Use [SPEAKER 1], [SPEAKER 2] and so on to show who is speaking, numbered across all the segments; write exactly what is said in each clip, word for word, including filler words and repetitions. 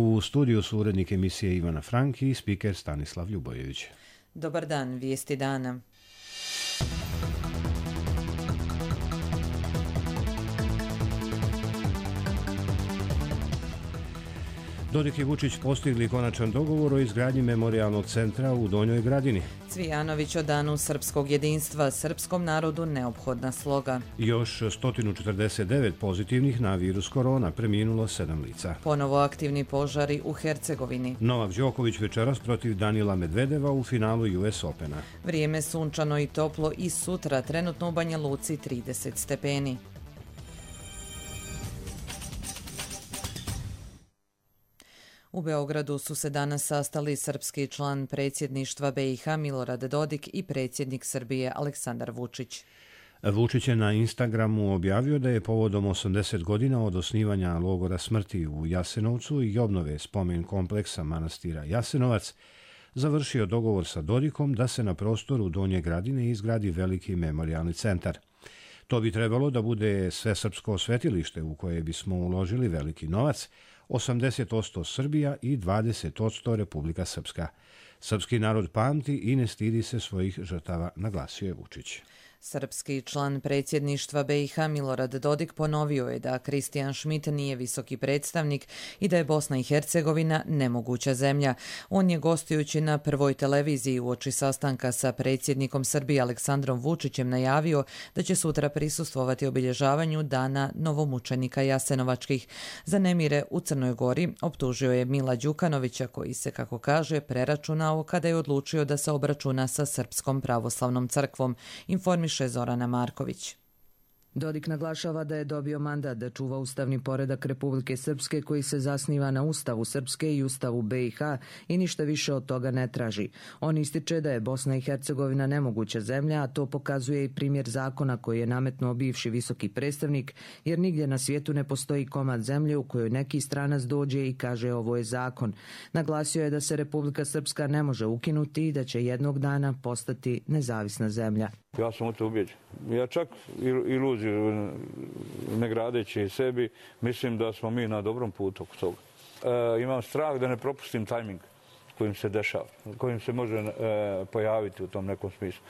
[SPEAKER 1] U studiju su urednik emisije Ivana Franki i spiker Stanislav Ljubojević.
[SPEAKER 2] Dobar dan, vijesti dana.
[SPEAKER 1] Dodik i Vučić postigli konačan dogovor o izgradnji memorijalnog centra u Donjoj Gradini.
[SPEAKER 2] Cvijanović o danu srpskog jedinstva, srpskom narodu neophodna sloga.
[SPEAKER 1] Još sto četrdeset devet pozitivnih na virus korona, preminulo sedam lica.
[SPEAKER 2] Ponovo aktivni požari u Hercegovini.
[SPEAKER 1] Novak Đoković večeras protiv Danila Medvedeva u finalu U S Opena.
[SPEAKER 2] Vrijeme sunčano i toplo i sutra, trenutno u Banja Luci trideset stepeni. U Beogradu su se danas sastali srpski član predsjedništva B i H Milorad Dodik i predsjednik Srbije Aleksandar Vučić.
[SPEAKER 1] Vučić je na Instagramu objavio da je povodom osamdeset godina od osnivanja logora smrti u Jasenovcu i obnove spomen kompleksa manastira Jasenovac završio dogovor sa Dodikom da se na prostoru Donje Gradine izgradi veliki memorijalni centar. To bi trebalo da bude svesrpsko svetilište u koje bismo uložili veliki novac, osamdeset posto Srbija i dvadeset posto Republika Srpska. Srpski narod pamti i ne stidi se svojih žrtava, naglasio je Vučić.
[SPEAKER 2] Srpski član predsjedništva B i H Milorad Dodik ponovio je da Kristijan Šmit nije visoki predstavnik i da je Bosna i Hercegovina nemoguća zemlja. On je gostujući na Prvoj televiziji uoči sastanka sa predsjednikom Srbije Aleksandrom Vučićem najavio da će sutra prisustvovati obilježavanju dana novomučenika Jasenovačkih. Za nemire u Crnoj Gori optužio je Mila Đukanovića koji se, kako kaže, preračunao kada je odlučio da se obračuna sa Srpskom pravoslavnom crkvom, informiše Zorana Marković.
[SPEAKER 3] Dodik naglašava da je dobio mandat da čuva ustavni poredak Republike Srpske koji se zasniva na Ustavu Srpske i Ustavu B i H i ništa više od toga ne traži. On ističe da je Bosna i Hercegovina nemoguća zemlja, a to pokazuje i primjer zakona koji je nametnuo bivši visoki predstavnik, jer nigdje na svijetu ne postoji komad zemlje u kojoj neki stranac dođe i kaže ovo je zakon. Naglasio je da se Republika Srpska ne može ukinuti i da će jednog dana postati nezavisna zemlja.
[SPEAKER 4] Ja sam u to ubijeđen. Ja čak iluziju ne gradeći sebi, mislim da smo mi na dobrom putu oko toga. E, imam strah da ne propustim tajming kojim se dešava, kojim se može e, pojaviti u tom nekom smislu.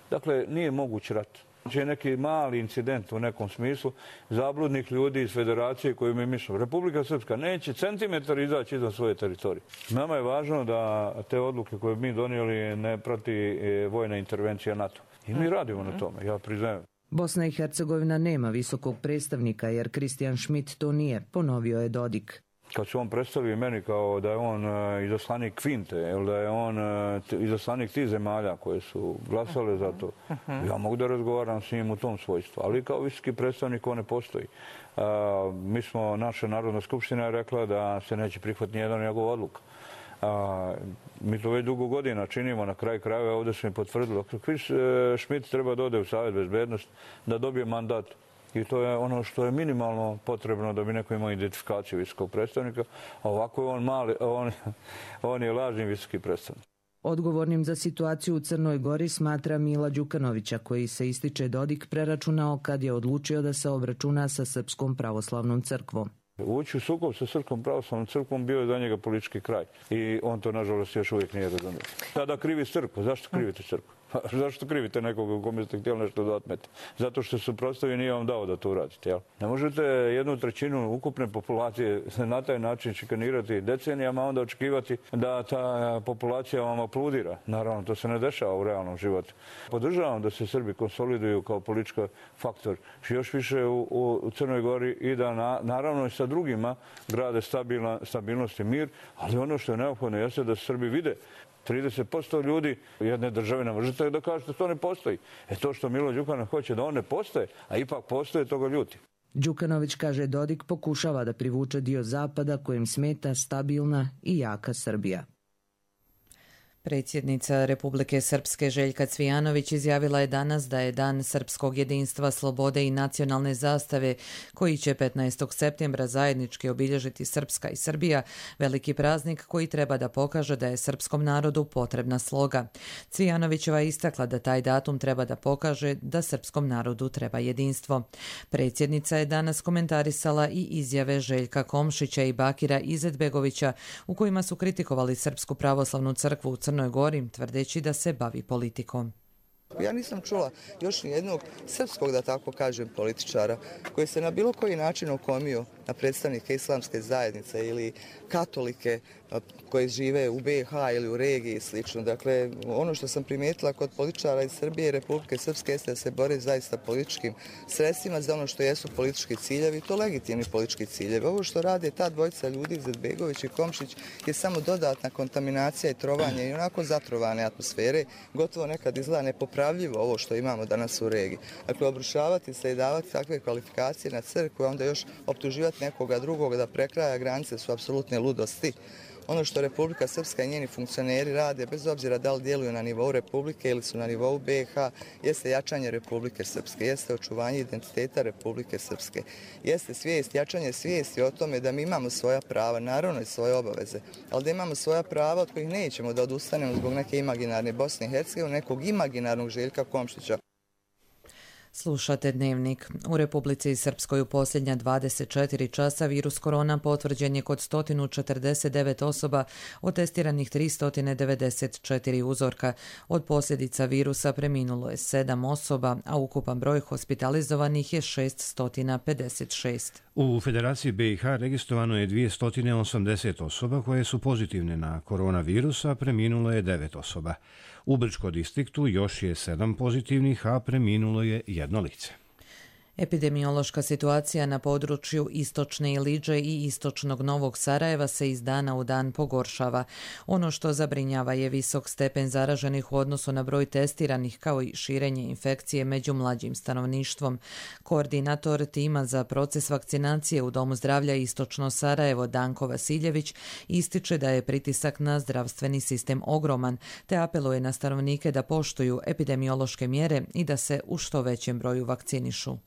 [SPEAKER 4] Dakle, nije moguć rat. Znači, neki mali incident u nekom smislu zabludnih ljudi iz federacije koju mi mišljamo. Republika Srpska neće centimetar izaći izvan svoje teritorije. Nama je važno da te odluke koje mi donijeli ne prati vojna intervencija NATO. I mi radimo na tome, ja priznajem.
[SPEAKER 3] Bosna i Hercegovina nema visokog predstavnika jer Kristijan Šmit to nije, ponovio je Dodik.
[SPEAKER 4] Kad se on predstavi meni kao da je on uh, izaslanik Kvinte ili da je on uh, izaslanik tih zemalja koje su glasale za to, ja mogu da razgovaram s njim u tom svojstvu, ali kao visoki predstavnik on ne postoji. Uh, mi smo, naša Narodna skupština je rekla da se neće prihvatiti nijedan njegov odluka. A, mi to već dugo godina činimo, na kraju krajeva ovdje smo i potvrdili. Šmit treba da ode u Savjet bezbednosti, da dobije mandat i to je ono što je minimalno potrebno da bi neko imao identifikaciju visokog predstavnika, a ovako je on mali, on, on je lažni visoki predstavnik.
[SPEAKER 3] Odgovornim za situaciju u Crnoj Gori smatra Mila Đukanovića, koji se, ističe Dodik, preračunao kad je odlučio da se obračuna sa Srpskom pravoslavnom crkvom.
[SPEAKER 4] Ući u sukob sa Srpskom pravoslavnom crkvom bio je za njega politički kraj. I on to, nažalost, još uvijek nije razumio. Sada krivi crkvu. Zašto krivite crkvu? Zašto krivite nekoga u kome ste htjeli nešto da otmete? Zato što su prostavi nije vam dao da to uradite. Jel? Ne možete jednu trećinu ukupne populacije na taj način šikanirati decenijama, onda očekivati da ta populacija vam aplaudira. Naravno, to se ne dešava u realnom životu. Podržavam da se Srbi konsoliduju kao politički faktor još više u, u Crnoj Gori i da na, naravno i sa drugima grade stabilna, stabilnost i mir, ali ono što je neophodno jeste da Srbi vide trideset posto ljudi jedne države ne možete da kažete da to ne postoji. E to što Milo Đukanović hoće da on ne postoje, a ipak postoje, to ga ljuti.
[SPEAKER 3] Đukanović, kaže Dodik, pokušava da privuče dio Zapada kojim smeta stabilna i jaka Srbija.
[SPEAKER 2] Predsjednica Republike Srpske Željka Cvijanović izjavila je danas da je Dan srpskog jedinstva, slobode i nacionalne zastave, koji će petnaestog septembra zajednički obilježiti Srpska i Srbija, veliki praznik koji treba da pokaže da je srpskom narodu potrebna sloga. Cvijanovićeva je istakla da taj datum treba da pokaže da srpskom narodu treba jedinstvo. Predsjednica je danas komentarisala i izjave Željka Komšića i Bakira Izetbegovića u kojima su kritikovali Srpsku pravoslavnu crkvu u Crnoj Gori, tvrdeći da se bavi politikom.
[SPEAKER 5] Ja nisam čula još ni jednog srpskog, da tako kažem, političara koji se na bilo koji način okomio na predstavnike islamske zajednice ili katolike koji žive u be ha ili u regiji i slično. Dakle, ono što sam primijetila kod političara iz Srbije i Republike Srpske jeste da se bore zaista političkim sredstvima za ono što jesu politički ciljevi i to legitimni politički ciljevi. Ovo što rade ta dvojica ljudi, Izetbegović i Komšić, je samo dodatna kontaminacija i trovanje i onako zatrovane atmosfere, gotovo nekad izgleda nepopravljivo ovo što imamo danas u regiji. Dakle, obrušavati se i davati takve kvalifikacije na crkvu, a onda još optuživati nekoga drugoga da prekraja granice su apsolutne ludosti. Ono što Republika Srpska i njeni funkcioneri rade, bez obzira da li djeluju na nivou Republike ili su na nivou be ha, jeste jačanje Republike Srpske, jeste očuvanje identiteta Republike Srpske, jeste svijest, jačanje svijesti o tome da mi imamo svoja prava, naravno i svoje obaveze, ali da imamo svoja prava od kojih nećemo da odustanemo zbog neke imaginarne Bosne i Hercegovine, nekog imaginarnog Željka Komšića.
[SPEAKER 2] Slušate Dnevnik. U Republici Srpskoj u posljednja dvadeset četiri časa virus korona potvrđen je kod sto četrdeset devet osoba, od testiranih tristo devedeset četiri uzorka. Od posljedica virusa preminulo je sedam osoba, a ukupan broj hospitalizovanih je šesto pedeset šest.
[SPEAKER 1] U Federaciji be i ha registrovano je dvjesto osamdeset osoba koje su pozitivne na koronavirus, a preminulo je devet osoba. U Brčko distriktu još je sedam pozitivnih, a preminulo je jedno lice.
[SPEAKER 2] Epidemiološka situacija na području Istočne Iliđe i Istočnog Novog Sarajeva se iz dana u dan pogoršava. Ono što zabrinjava je visok stepen zaraženih u odnosu na broj testiranih, kao i širenje infekcije među mlađim stanovništvom. Koordinator tima za proces vakcinacije u Domu zdravlja Istočno Sarajevo, Danko Vasiljević, ističe da je pritisak na zdravstveni sistem ogroman, te apeluje na stanovnike da poštuju epidemiološke mjere i da se u što većem broju vakcinišu.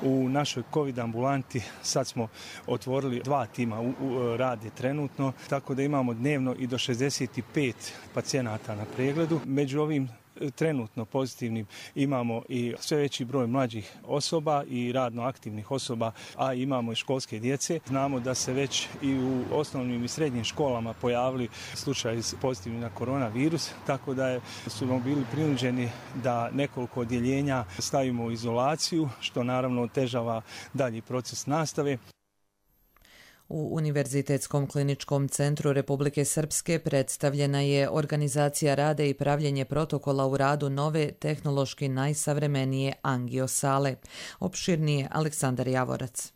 [SPEAKER 6] U našoj COVID ambulanti sad smo otvorili dva tima, u, u, rade trenutno, tako da imamo dnevno i do šezdeset pet pacijenata na pregledu. Među ovim trenutno pozitivnim imamo i sve veći broj mlađih osoba i radno aktivnih osoba, a imamo i školske djece. Znamo da se već i u osnovnim i srednjim školama pojavili slučaji pozitivni na koronavirus, tako da je, su bili prinuđeni da nekoliko odjeljenja stavimo u izolaciju, što naravno otežava dalji proces nastave.
[SPEAKER 2] U Univerzitetskom kliničkom centru Republike Srpske predstavljena je organizacija rada i pravljenje protokola u radu nove, tehnološki najsavremenije angiosale. Opširnije Aleksandar Javorac.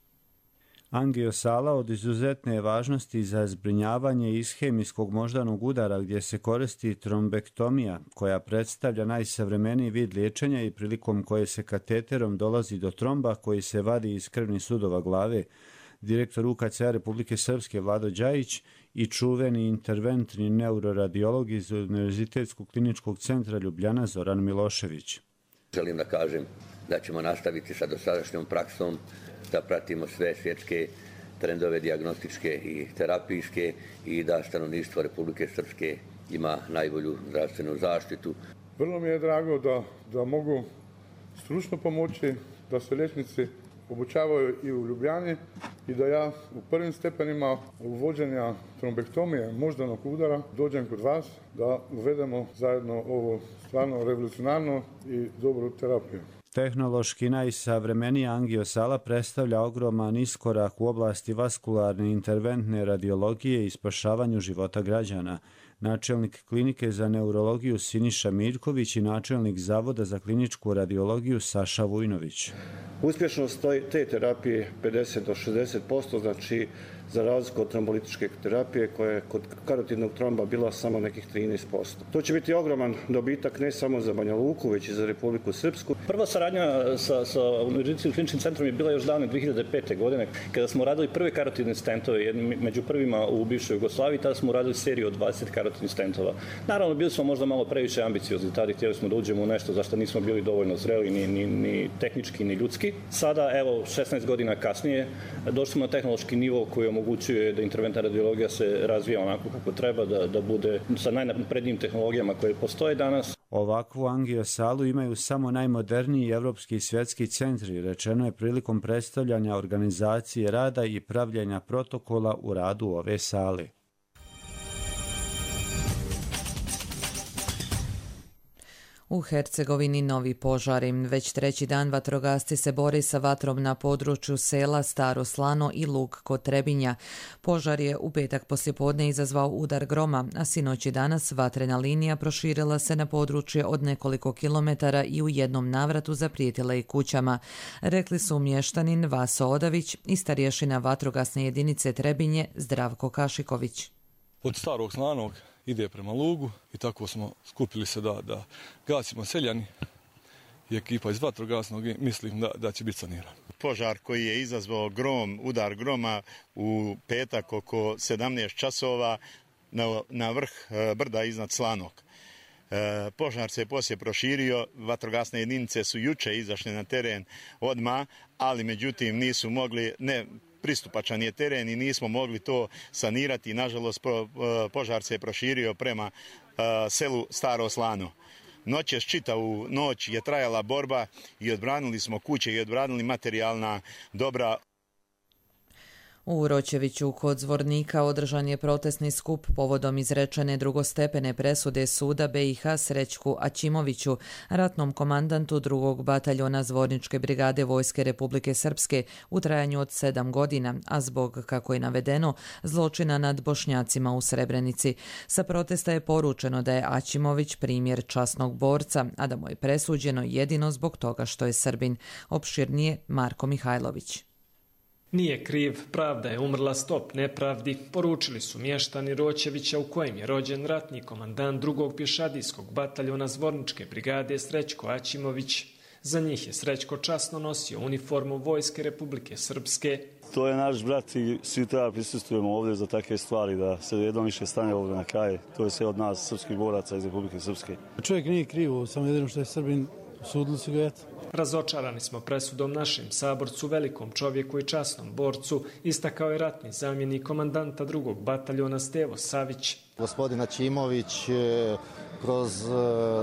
[SPEAKER 7] Angiosala od izuzetne je važnosti za zbrinjavanje ishemijskog moždanog udara gdje se koristi trombektomija, koja predstavlja najsavremeniji vid liječenja i prilikom koje se kateterom dolazi do tromba koji se vadi iz krvnih sudova glave. Direktor u ka ce a Republike Srpske Vlado Đajić i čuveni interventni neuroradiolog iz Univerzitetskog kliničkog centra Ljubljana Zoran Milošević.
[SPEAKER 8] Želim da kažem da ćemo nastaviti sa dosadašnjom praksom, da pratimo sve svjetske trendove dijagnostičke i terapijske i da stanovništvo Republike Srpske ima najbolju zdravstvenu zaštitu.
[SPEAKER 9] Vrlo mi je drago da, da mogu stručno pomoći, da se liječnici obučavaju i u Ljubljani i da ja u prvim stepenima uvođenja trombektomije moždanog udara dođem kod vas da uvedemo zajedno ovo stvarno revolucionarno i dobru terapiju.
[SPEAKER 7] Tehnološki najsavremenija angiosala predstavlja ogroman iskorak u oblasti vaskularne interventne radiologije i spašavanju života građana. Načelnik klinike za neurologiju Siniša Mirković i načelnik Zavoda za kliničku radiologiju Saša Vujnović.
[SPEAKER 10] Uspješnost te terapije pedeset do šezdeset posto, znači za razliku od trombolitičke terapije koja je kod karotidnog tromba bila samo nekih trinaest posto. To će biti ogroman dobitak ne samo za Banja Luku, već i za Republiku Srpsku.
[SPEAKER 11] Prva saradnja sa, sa Medicinskim kliničkim centrom je bila još davne dve hiljade pete. godine, kada smo radili prve karotidne stentove, među prvima u bivšoj Jugoslaviji, tada smo radili seriju od dvadeset karotidnih stentova. Naravno, bili smo možda malo previše ambiciozni, tada htjeli smo da uđemo u nešto za što nismo bili dovoljno zreli, ni, ni, ni tehnički, ni ljudski. Sada, evo, šesnaest godina kasnije, došli smo na tehnološki nivo koji omogućuje da interventna radiologija se razvija onako kako treba, da, da bude sa najnaprednijim tehnologijama koje postoje danas.
[SPEAKER 7] Ovakvu angiosalu imaju samo najmoderniji evropski i svjetski centri, rečeno je prilikom predstavljanja organizacije rada i pravljenja protokola u radu ove sale.
[SPEAKER 2] U Hercegovini novi požari. Već treći dan vatrogasci se bore sa vatrom na području sela Staro Slano i Lug kod Trebinja. Požar je u petak poslijepodne izazvao udar groma, a sinoć i danas vatrena linija proširila se na područje od nekoliko kilometara i u jednom navratu zaprijetila i kućama. Rekli su mještanin Vaso Odavić i starješina vatrogasne jedinice Trebinje Zdravko Kašiković.
[SPEAKER 12] Od Starog Slanog ide prema Lugu i tako smo skupili se da, da gasimo seljani i ekipa iz vatrogasnog i mislim da, da će biti saniran.
[SPEAKER 13] Požar koji je izazvao grom, udar groma u petak oko sedamnaest časova na, na vrh brda iznad Slanog. E, požar se poslije proširio, vatrogasne jedinice su juče izašle na teren odmah, ali međutim nisu mogli, ne pristupačan je teren i nismo mogli to sanirati. Nažalost, požar se je proširio prema uh, selu Staro Slano. Noćas, čitavu noć je trajala borba i odbranili smo kuće i odbranili materijalna dobra.
[SPEAKER 2] U Roćeviću kod Zvornika održan je protestni skup povodom izrečene drugostepene presude suda B i H Srećku Aćimoviću, ratnom komandantu drugog bataljona Zvorničke brigade Vojske Republike Srpske u trajanju od sedam godina, a zbog, kako je navedeno, zločina nad Bošnjacima u Srebrenici. Sa protesta je poručeno da je Aćimović primjer časnog borca, a da mu je presuđeno jedino zbog toga što je Srbin. Opširnije Marko Mihajlović.
[SPEAKER 14] Nije kriv, pravda je umrla, stop nepravdi, poručili su mještani Roćevića u kojem je rođen ratni komandant drugog pješadijskog bataljona Zvorničke brigade Srećko Aćimović. Za njih je Srećko časno nosio uniformu Vojske Republike Srpske.
[SPEAKER 15] To je naš brat i svi treba prisustujemo ovdje za takve stvari, da se jednom više stane ovdje na kraj. To je sve od nas, srpskih boraca iz Republike Srpske.
[SPEAKER 16] Čovjek nije kriv, samo jedino što je Srbin, sudili su ga eto.
[SPEAKER 14] Razočarani smo presudom našem saborcu, velikom čovjeku i časnom borcu, istakao je ratni zamjenik komandanta drugog bataljona Stevo Savić.
[SPEAKER 17] Gospodin Aćimović kroz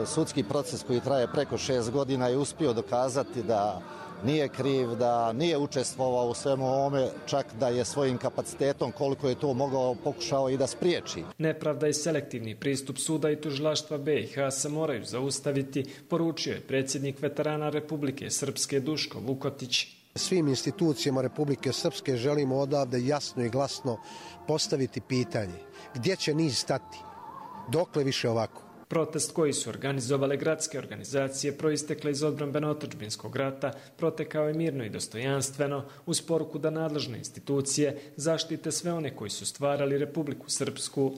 [SPEAKER 17] sudski proces koji traje preko šest godina je uspio dokazati da nije kriv, da nije učestvovao u svemu ovome, čak da je svojim kapacitetom koliko je to mogao pokušao i da spriječi.
[SPEAKER 14] Nepravda i selektivni pristup suda i tužilaštva B i H se moraju zaustaviti, poručio je predsjednik veterana Republike Srpske Duško Vukotić.
[SPEAKER 18] Svim institucijama Republike Srpske želimo odavde jasno i glasno postaviti pitanje gdje će niz stati, dokle više ovako.
[SPEAKER 14] Protest koji su organizovale gradske organizacije proistekle iz odbrambeno-otadžbinskog rata protekao je mirno i dostojanstveno uz poruku da nadležne institucije zaštite sve one koji su stvarali Republiku Srpsku.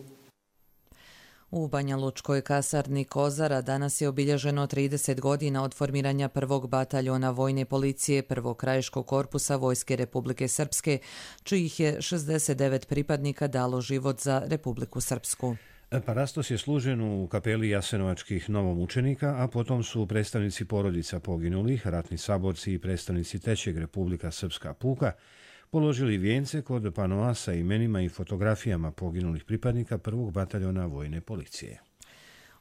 [SPEAKER 2] U Banja Lučkoj kasarni Kozara danas je obilježeno trideset godina od formiranja prvog bataljona vojne policije prvog krajiškog korpusa Vojske Republike Srpske, čijih je šezdeset devet pripadnika dalo život za Republiku Srpsku.
[SPEAKER 1] Parastos je služen u kapeli jasenovačkih novomučenika, a potom su predstavnici porodica poginulih, ratni saborci i predstavnici Trećeg Republika Srpska puka položili vijence kod panoa sa imenima i fotografijama poginulih pripadnika prvog bataljona vojne policije.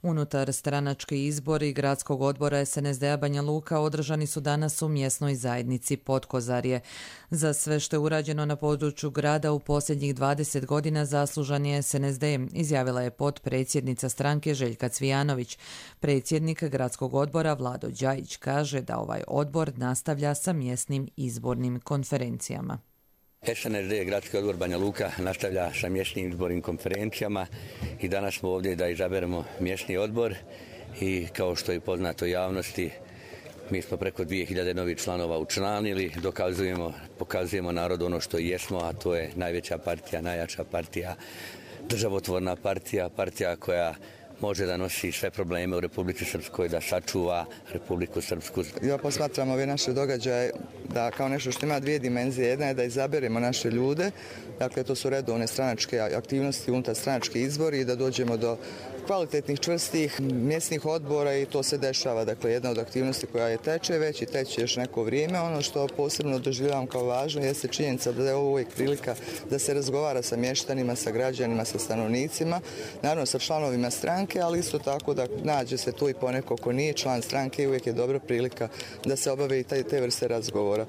[SPEAKER 2] Unutar stranački izbori gradskog odbora es en es de a Banja Luka održani su danas u mjesnoj zajednici Podkozarje. Za sve što je urađeno na području grada u posljednjih dvadeset godina zaslužan je es en es de, izjavila je potpredsjednica stranke Željka Cvijanović. Predsjednik gradskog odbora Vlado Đajić kaže da ovaj odbor nastavlja sa mjesnim izbornim konferencijama.
[SPEAKER 8] es en es de, Gradski odbor Banja Luka, nastavlja sa mjesnim izbornim konferencijama i danas smo ovdje da izaberemo mjesni odbor i kao što je poznato javnosti, Mi smo preko dvije hiljade novih članova učlanili, dokazujemo, pokazujemo narodu ono što jesmo, a to je najveća partija, najjača partija, državotvorna partija, partija koja može da nosi sve probleme u Republici Srpskoj, da sačuva Republiku Srpsku.
[SPEAKER 5] Ja posmatram ove naše događaje da kao nešto što ima dvije dimenzije. Jedna je da izaberemo naše ljude, dakle to su redovne stranačke aktivnosti, unutar stranački izbori i da dođemo do kvalitetnih, čvrstih mjesnih odbora i to se dešava. Dakle, jedna od aktivnosti koja je teče već i teče još neko vrijeme. Ono što posebno doživljavam kao važno jeste činjenica da je ovo uvijek prilika da se razgovara sa mještanima, sa građanima, sa stanovnicima, naravno sa članovima stranke, ali isto tako da nađe se tu i poneko ko nije član stranke i uvijek je dobra prilika da se obave i te vrste razgovora.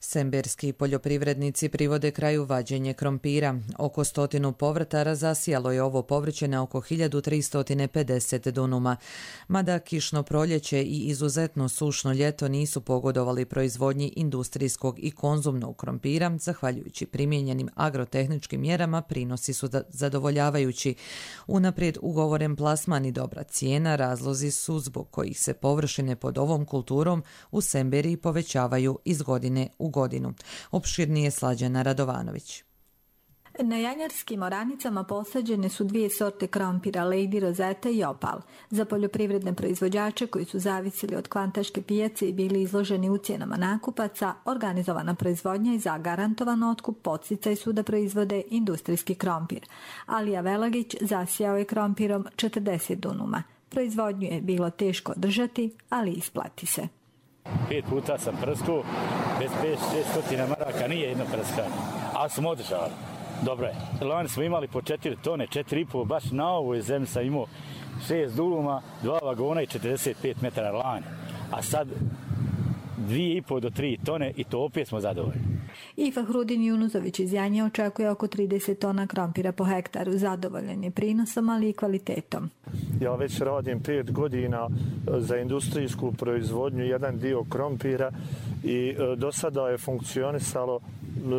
[SPEAKER 2] Semberski poljoprivrednici privode kraju vađenje krompira. Oko stotinu povrtara zasijalo je ovo povrće na oko hiljadu tristo pedeset dunuma. Mada kišno proljeće i izuzetno sušno ljeto nisu pogodovali proizvodnji industrijskog i konzumnog krompira, zahvaljujući primijenjenim agrotehničkim mjerama prinosi su zadovoljavajući. Unaprijed ugovoren plasman i dobra cijena razlozi su zbog kojih se površine pod ovom kulturom u Semberiji povećavaju iz godine u godinu. godinu. Opširnije Slađana Radovanović.
[SPEAKER 19] Na janjarskim oranicama posađene su dvije sorte krompira, Lady Rosetta i Opal. Za poljoprivredne proizvođače koji su zavisili od kvantaške pijace i bili izloženi ucjenama nakupaca, organizovana proizvodnja i zagarantovan otkup podsticaj su da proizvode industrijski krompir. Alija Velagić zasijao je krompirom četrdeset dunuma. Proizvodnju je bilo teško održati, ali isplati se.
[SPEAKER 20] Pet puta sam prskao, bez pet stotina maraka nije jedno prskanje, ali smo održali. Dobro je. Lani smo imali po četiri tone, četiri i po, baš na ovoj zemlji sam imao šest duluma, dva vagona i četrdeset pet metara lani. A sad dvije i po do tri tone i to opet smo zadovoljni.
[SPEAKER 19] I Fahrudin Junuzović iz Janje očekuje oko trideset tona krompira po hektaru. Zadovoljan je prinosom, ali i kvalitetom.
[SPEAKER 21] Ja već radim pet godina za industrijsku proizvodnju, jedan dio krompira i do sada je funkcionisalo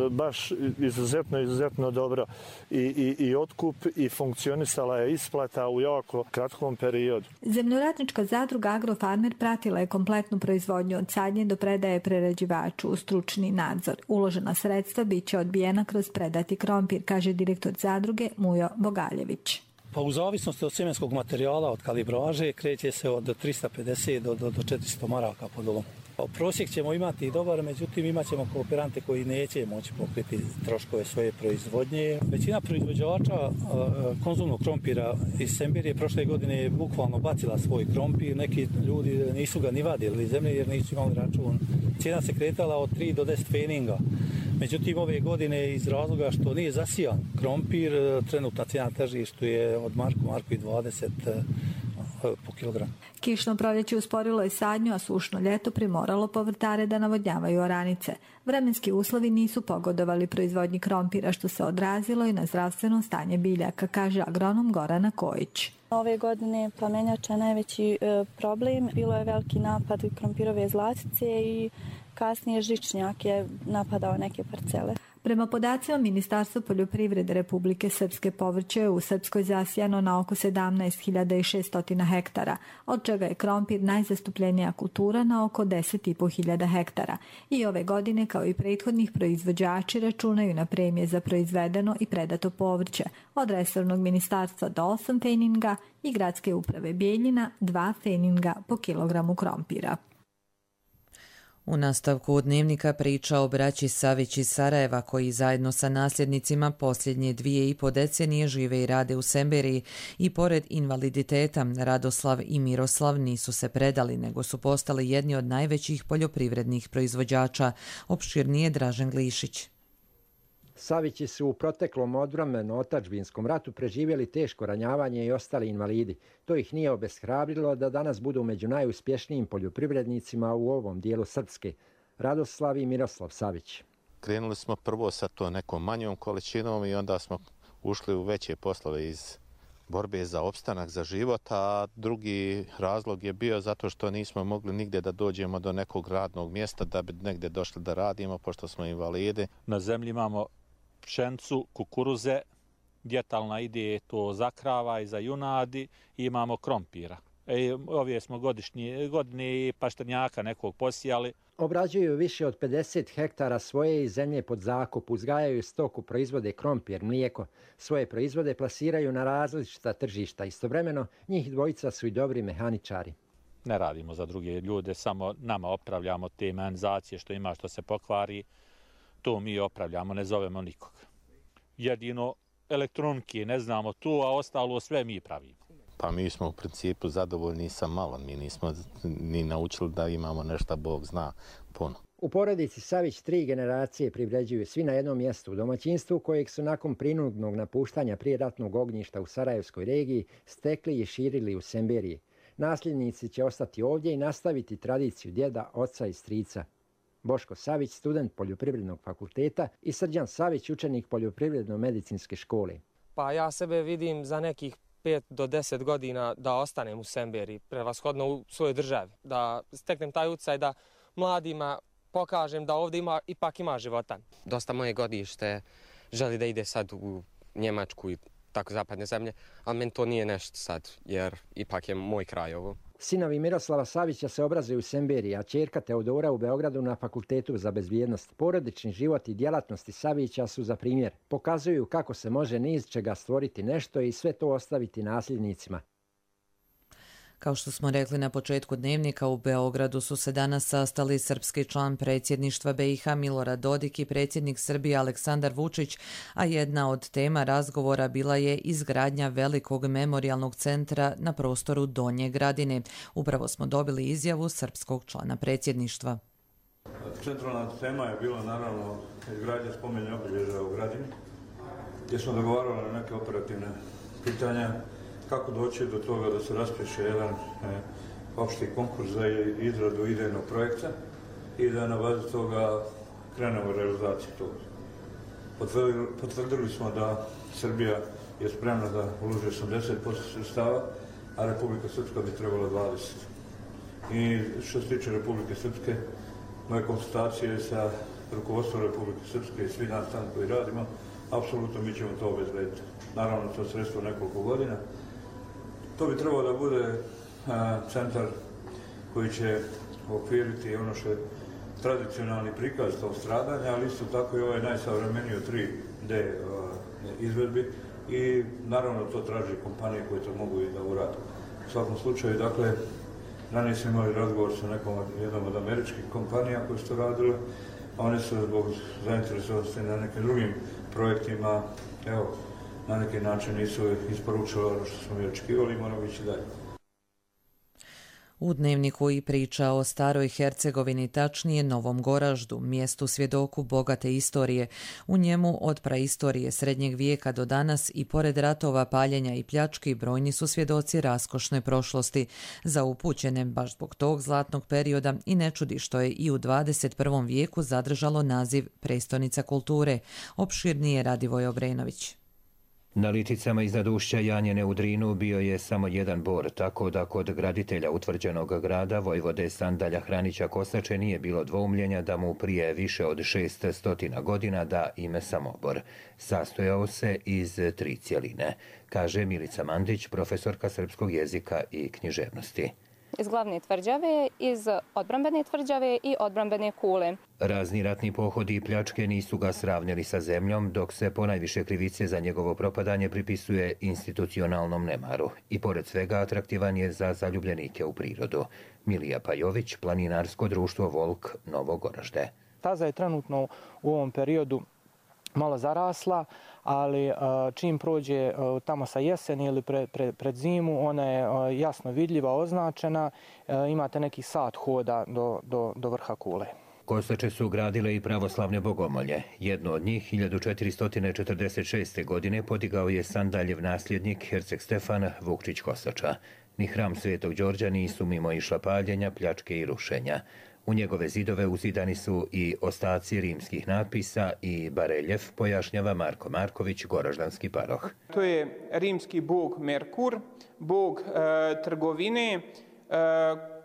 [SPEAKER 21] baš izuzetno, izuzetno dobro i, i, i otkup i funkcionisala je isplata u jako kratkom periodu.
[SPEAKER 19] Zemljoradnička zadruga Agrofarmer pratila je kompletnu proizvodnju od sadnje do predaje prerađivaču u stručni nadzor. Uložena sredstva bit će odbijena kroz predati krompir, kaže direktor zadruge Mujo Bogaljević.
[SPEAKER 22] Pa u zavisnosti od sjemenskog materijala, od kalibraže, kreće se od trista pedeset do, do, do četiristo maraka po dolu. Prosjek ćemo imati dobar, međutim imat ćemo kooperante koji neće moći pokriti troškove svoje proizvodnje. Većina proizvođača konzumnog krompira iz Semberije prošle godine je bukvalno bacila svoj krompir. Neki ljudi nisu ga ni vadili iz zemlje jer nisu imali račun. Cijena se kretala od tri do deset feninga. Međutim, ove godine iz razloga što nije zasijan krompir, trenutna cijena na tržištu je od marku, marku i dvadeset po kilogram.
[SPEAKER 19] Kišno proljeće usporilo je sadnju, a sušno ljeto primoralo povrtare da navodnjavaju oranice. Vremenski uslovi nisu pogodovali proizvodnji krompira, što se odrazilo i na zdravstveno stanje biljaka, kaže agronom Gorana Kojić.
[SPEAKER 23] Ove godine plamenjača najveći e, problem. Bilo je veliki napad krompirove zlatice i kasnije žičnjak je napadao neke parcele.
[SPEAKER 19] Prema podacima Ministarstva poljoprivrede Republike Srpske, povrće je u Srpskoj zasijano na oko sedamnaest hiljada šesto hektara, od čega je krompir najzastupljenija kultura na oko deset i po hiljada hektara. I ove godine, kao i prethodnih, proizvođači računaju na premije za proizvedeno i predato povrće, od resornog ministarstva do osam feninga i gradske uprave Bijeljina dva feninga po kilogramu krompira.
[SPEAKER 2] U nastavku dnevnika priča o braći Savić iz Sarajeva koji zajedno sa nasljednicima posljednje dvije i po decenije žive i rade u Semberiji i pored invaliditeta Radoslav i Miroslav nisu se predali nego su postali jedni od najvećih poljoprivrednih proizvođača. Opširnije Dražen Glišić.
[SPEAKER 24] Savići su u proteklom odvremenu otadžbinskom ratu preživjeli teško ranjavanje i ostali invalidi. To ih nije obeshrabrilo da danas budu među najuspješnijim poljoprivrednicima u ovom dijelu Srpske. Radoslav i Miroslav Savić.
[SPEAKER 25] Krenuli smo prvo sa to nekom manjom količinom i onda smo ušli u veće poslove iz borbe za opstanak, za život, a drugi razlog je bio zato što nismo mogli nigdje da dođemo do nekog radnog mjesta da bi negdje došli da radimo, pošto smo invalidi.
[SPEAKER 26] Na zemlji imamo pšencu, kukuruze,
[SPEAKER 3] djetalna ide to za krava i za junadi i imamo krompira. E, ove smo godišnje, godine i pašternjaka nekog posijali.
[SPEAKER 24] Obrađuju više od pedeset hektara svoje i zemlje pod zakup, uzgajaju stoku, proizvode krompir, mlijeko. Svoje proizvode plasiraju na različita tržišta. Istovremeno, njih dvojica su i dobri mehaničari.
[SPEAKER 3] Ne radimo za druge ljude, samo nama opravljamo te mehanizacije što ima, što se pokvari. To mi opravljamo, ne zovemo nikoga. Jedino elektronike ne znamo tu, a ostalo sve mi pravimo.
[SPEAKER 25] Pa mi smo u principu zadovoljni sa malo. Mi nismo ni naučili da imamo nešto, Bog zna, puno.
[SPEAKER 24] U porodici Savić tri generacije privređuju svi na jednom mjestu u domaćinstvu kojeg su nakon prinudnog napuštanja prijeratnog ognjišta u Sarajevskoj regiji stekli i širili u Semberiji. Nasljednici će ostati ovdje i nastaviti tradiciju djeda, oca i strica. Boško Savić, student Poljoprivrednog fakulteta, i Srđan Savić, učenik Poljoprivredno-medicinske škole.
[SPEAKER 4] Pa ja sebe vidim za nekih pet do deset godina da ostanem u Semberiji, prevashodno u svojoj državi, da steknem taj utjecaj da mladima pokažem da ovdje ima, ipak ima života.
[SPEAKER 6] Dosta moje godište želi da ide sad u Njemačku i tako zapadne zemlje, ali meni to nije nešto sad, jer ipak je moj kraj ovo.
[SPEAKER 24] Sinovi Miroslava Savića se obrazuju u Semberiji, a ćerka Teodora u Beogradu na Fakultetu za bezbjednost. Porodični život i djelatnosti Savića su za primjer. Pokazuju kako se može ni iz čega stvoriti nešto i sve to ostaviti nasljednicima.
[SPEAKER 2] Kao što smo rekli na početku dnevnika, u Beogradu su se danas sastali srpski član predsjedništva B i H Milorad Dodik i predsjednik Srbije Aleksandar Vučić, a jedna od tema razgovora bila je izgradnja velikog memorijalnog centra na prostoru Donje Gradine. Upravo smo dobili izjavu srpskog člana predsjedništva.
[SPEAKER 9] Centralna tema je bila naravno izgradnja spomenika obilježja u Gradini, gdje smo dogovarali na neke operativne pitanja kako doći do toga da se raspiše jedan e, opšti konkurs za izradu idejnog projekta i da na bazi toga krenemo u realizaciju toga. Potvrdili, potvrdili smo da Srbija je spremna da uloži osamdeset posto sredstava, a Republika Srpska bi trebala dvadeset posto. I što se tiče Republike Srpske, moje konsultacije sa rukovodstvom Republike Srpske i svi nas tamo koji radimo, apsolutno mi ćemo to obezbediti. Naravno, to je sredstvo nekoliko godina. To bi trebalo da bude a, centar koji će okviriti ono što je tradicionalni prikaz tog stradanja, ali isto tako i ovaj najsavremeniji tri D a, izvedbi i naravno to traži kompanije koje to mogu i da urade. U svakom slučaju, dakle, ranije smo imali razgovor sa nekom jednom od američkih kompanija koje su to radile, a one su zbog zainteresovanosti na nekim drugim projektima, evo, na neki način nisu isporučili ono što smo mi očekivali i moramo ići dalje.
[SPEAKER 2] U dnevniku i priča o staroj Hercegovini, tačnije Novom Goraždu, mjestu svjedoku bogate istorije. U njemu od praistorije srednjeg vijeka do danas i pored ratova, paljenja i pljački brojni su svjedoci raskošne prošlosti. Za upućene baš zbog tog zlatnog perioda i ne čudi što je i u dvadeset prvom vijeku zadržalo naziv prestolnica kulture. Opširnije Radivoj Obrenović.
[SPEAKER 10] Na liticama iznad ušća Janjene u Drinu bio je samo jedan bor, tako da kod graditelja utvrđenog grada, vojvode Sandalja Hranića Kosače, nije bilo dvoumljenja da mu prije više od šest stotina godina da ime Samobor. Sastojao se iz tri cjeline, kaže Milica Mandić, profesorka srpskog jezika i književnosti.
[SPEAKER 26] Iz glavne tvrđave, iz odbrambene tvrđave i odbrambene kule.
[SPEAKER 10] Razni ratni pohodi i pljačke nisu ga sravnili sa zemljom, dok se ponajviše krivice za njegovo propadanje pripisuje institucionalnom nemaru. I pored svega atraktivan je za zaljubljenike u prirodu. Milija Pajović, planinarsko društvo Volk, Novo Goražde.
[SPEAKER 27] Taza je trenutno u ovom periodu malo zarasla, ali čim prođe tamo sa jeseni ili pred, pred, pred zimu, ona je jasno vidljiva, označena, imate neki sat hoda do, do, do vrha kule.
[SPEAKER 10] Kosače su gradile i pravoslavne bogomolje. Jedno od njih, hiljadu četiristo četrdeset šeste. godine, podigao je Sandaljev nasljednik, herceg Stefan Vukčić Kosača. Ni hram Svetog Đorđa nisu mimo išla paljenja, pljačke i rušenja. U njegove zidove uzidani su i ostaci rimskih natpisa i bareljef, pojašnjava Marko Marković, goraždanski paroh.
[SPEAKER 28] To je rimski bog Merkur, bog e, trgovine, e,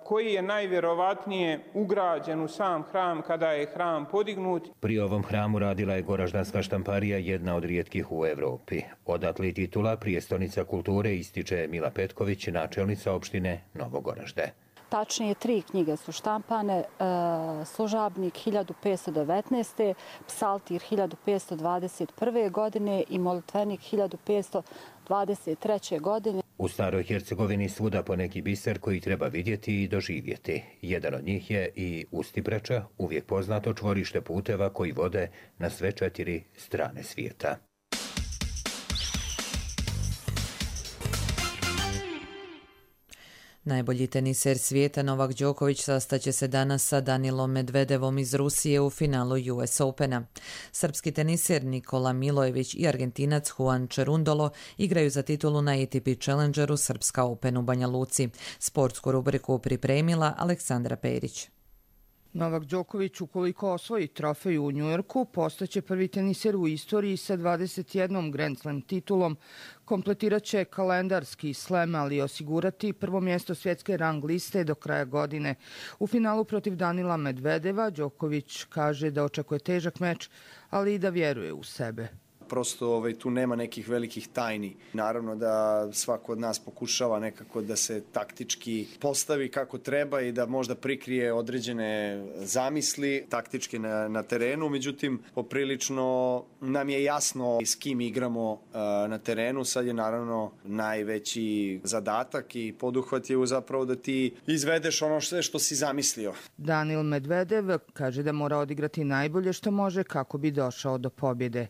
[SPEAKER 7] koji je najvjerovatnije ugrađen u sam hram kada je hram podignut.
[SPEAKER 10] Pri ovom hramu radila je Goraždanska štamparija, jedna od rijetkih u Evropi. Odatle titula prijestolnica kulture ističe Mila Petković, načelnica opštine Novo Goražde.
[SPEAKER 11] Tačnije, tri knjige su štampane, e, Služabnik hiljadu petsto devetnaeste. Psaltir hiljadu petsto dvadeset prve. godine i Molitvenik hiljadu petsto dvadeset treće. godine.
[SPEAKER 10] U Staroj Hercegovini svuda poneki biser koji treba vidjeti i doživjeti. Jedan od njih je i Ustipreča, uvijek poznato čvorište puteva koji vode na sve četiri strane svijeta.
[SPEAKER 2] Najbolji teniser svijeta Novak Đoković sastaće se danas sa Danilom Medvedevom iz Rusije u finalu U S Opena. Srpski teniser Nikola Milojević i Argentinac Juan Cerundolo igraju za titulu na A T P Challengeru Srpska Open u Banja Luci. Sportsku rubriku pripremila Aleksandra Perić.
[SPEAKER 12] Novak Đoković, ukoliko osvoji trofej u Njujorku, postaće prvi teniser u istoriji sa dvadeset jednom Grand Slam titulom. Kompletirat će kalendarski slam, ali osigurati prvo mjesto svjetske rang liste do kraja godine. U finalu protiv Danila Medvedeva Đoković kaže da očekuje težak meč, ali i da vjeruje u sebe.
[SPEAKER 13] Prosto ovaj, tu nema nekih velikih tajni. Naravno da svako od nas pokušava nekako da se taktički postavi kako treba i da možda prikrije određene zamisli taktički na, na terenu. Međutim, poprilično nam je jasno s kim igramo uh, na terenu. Sad je naravno najveći zadatak i poduhvat je zapravo da ti izvedeš ono sve što si zamislio.
[SPEAKER 12] Danil Medvedev kaže da mora odigrati najbolje što može kako bi došao do pobjede.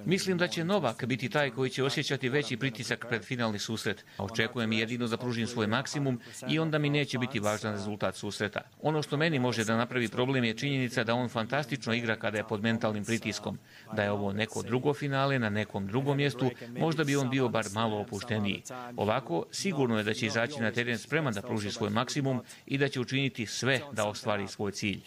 [SPEAKER 15] Mislim da će Novak biti taj koji će osjećati veći pritisak pred finalni susret. Očekujem jedino da pružim svoj maksimum i onda mi neće biti važan rezultat susreta. Ono što meni može da napravi problem je činjenica da on fantastično igra kada je pod mentalnim pritiskom. Da je ovo neko drugo finale na nekom drugom mjestu, možda bi on bio bar malo opušteniji. Ovako, sigurno je da će izaći na teren spreman da pruži svoj maksimum i da će učiniti sve da ostvari svoj cilj.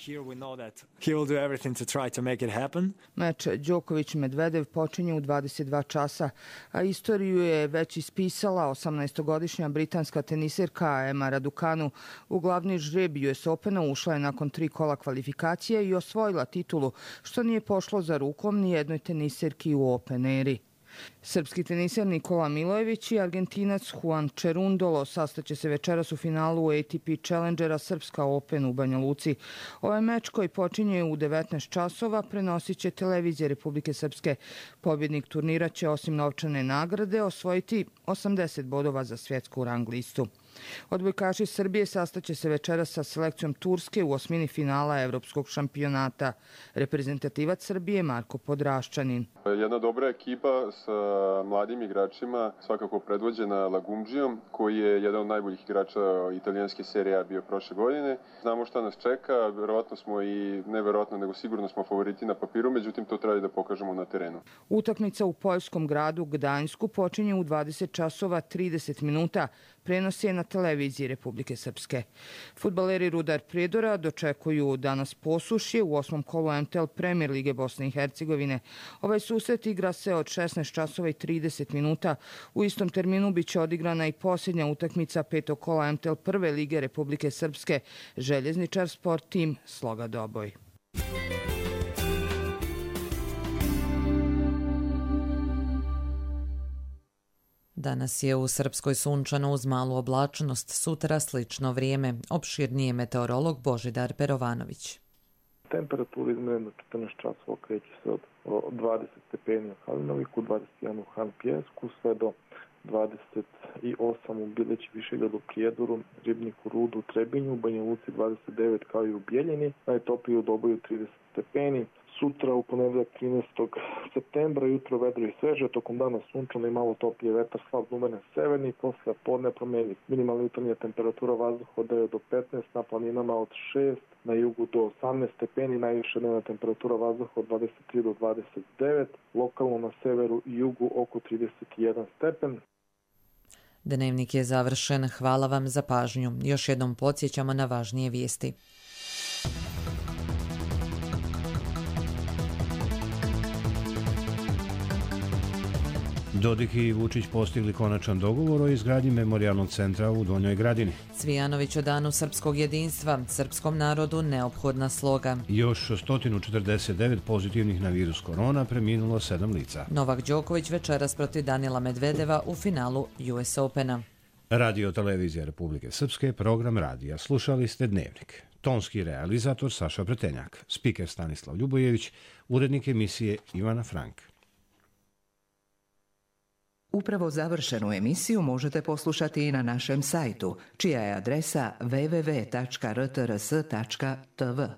[SPEAKER 12] everything to try to make it happen. Meč Đoković-Medvedev počinje u dvadeset dva časa, a istoriju je već ispisala osamnaestogodišnja britanska teniserka Emma Raducanu. U glavni žreb U S Opena ušla je nakon tri kola kvalifikacije i osvojila titulu, što nije pošlo za rukom ni jednoj teniserki u Open eri. Srpski teniser Nikola Milojević i Argentinac Juan Cerundolo sastaće se večeras u finalu A T P Challengera Srpska Open u Banja Luci. Ovaj meč koji počinje u devetnaest časova prenosit će televizija Republike Srpske. Pobjednik turnira će osim novčane nagrade osvojiti osamdeset bodova za svjetsku rang listu. Odbojkaši Srbije sastaće se večeras sa selekcijom Turske u osmini finala Evropskog šampionata. Reprezentativac Srbije Marko Podraščanin.
[SPEAKER 16] Jedna dobra ekipa sa mladim igračima, svakako predvođena Lagumdžijom, koji je jedan od najboljih igrača italijanske serije A bio prošle godine. Znamo šta nas čeka, verovatno smo i ne verovatno, nego sigurno smo favoriti na papiru, međutim to treba da pokažemo na terenu.
[SPEAKER 12] Utakmica u poljskom gradu Gdańsku počinje u dvadeset časova trideset minuta. Prenos je na televiziji Republike Srpske. Fudbaleri Rudar Prijedora dočekuju danas Posušje u osmom kolu M T L Premier lige Bosne i Hercegovine. Ovaj susret igra se od šesnaest časova i trideset minuta. U istom terminu biće odigrana i posljednja utakmica petog kola M T L Prve lige Republike Srpske. Željezničar Sport Tim Sloga Doboj.
[SPEAKER 2] Danas je u Srpskoj sunčano uz malu oblačnost, sutra slično vrijeme. Opširnije meteorolog Božidar Perovanović.
[SPEAKER 21] Temperatura izmjerena četrnaest časova kreće se od dvadeset stepeni u Kalinoviku, dvadeset jedan u Han Pjesku, sve do dvadeset osam u Bileći Višegradu, Prijedoru, Ribniku, Rudu, Trebinju, u Banja Luci dvadeset devet kao i u Bijeljini, najtoplije u Doboju trideset stepeni. Sutra u ponedjeljak trinaestog septembra jutro vedro i sveže, tokom dana sunčano i malo toplije, vetar slab umeren severni, posle podne promjenjiv. Minimalna jutarnja temperatura vazduha od devet do petnaest, na planinama od šest, na jugu do osamnaest stepeni, najviša dnevna temperatura vazduha od dvadeset tri do dvadeset devet, lokalno na severu i jugu oko trideset jedan stepen.
[SPEAKER 2] Dnevnik je završen. Hvala vam za pažnju. Još jednom podsjećamo na važnije vijesti.
[SPEAKER 1] Dodik i Vučić postigli konačan dogovor o izgradnji memorijalnog centra u Donjoj Gradini.
[SPEAKER 2] Cvijanović o danu srpskog jedinstva, srpskom narodu neophodna sloga.
[SPEAKER 1] Još sto četrdeset devet pozitivnih na virus korona, preminulo sedam lica.
[SPEAKER 2] Novak Đoković večeras protiv Danila Medvedeva u finalu U S Opena.
[SPEAKER 1] Radio Televizija Republike Srpske, program radija. Slušali ste Dnevnik. Tonski realizator Saša Pretenjak, spiker Stanislav Ljubojević, urednik emisije Ivana Frank.
[SPEAKER 5] Upravo završenu emisiju možete poslušati i na našem sajtu, čija je adresa w w w tačka r t r s tačka t v.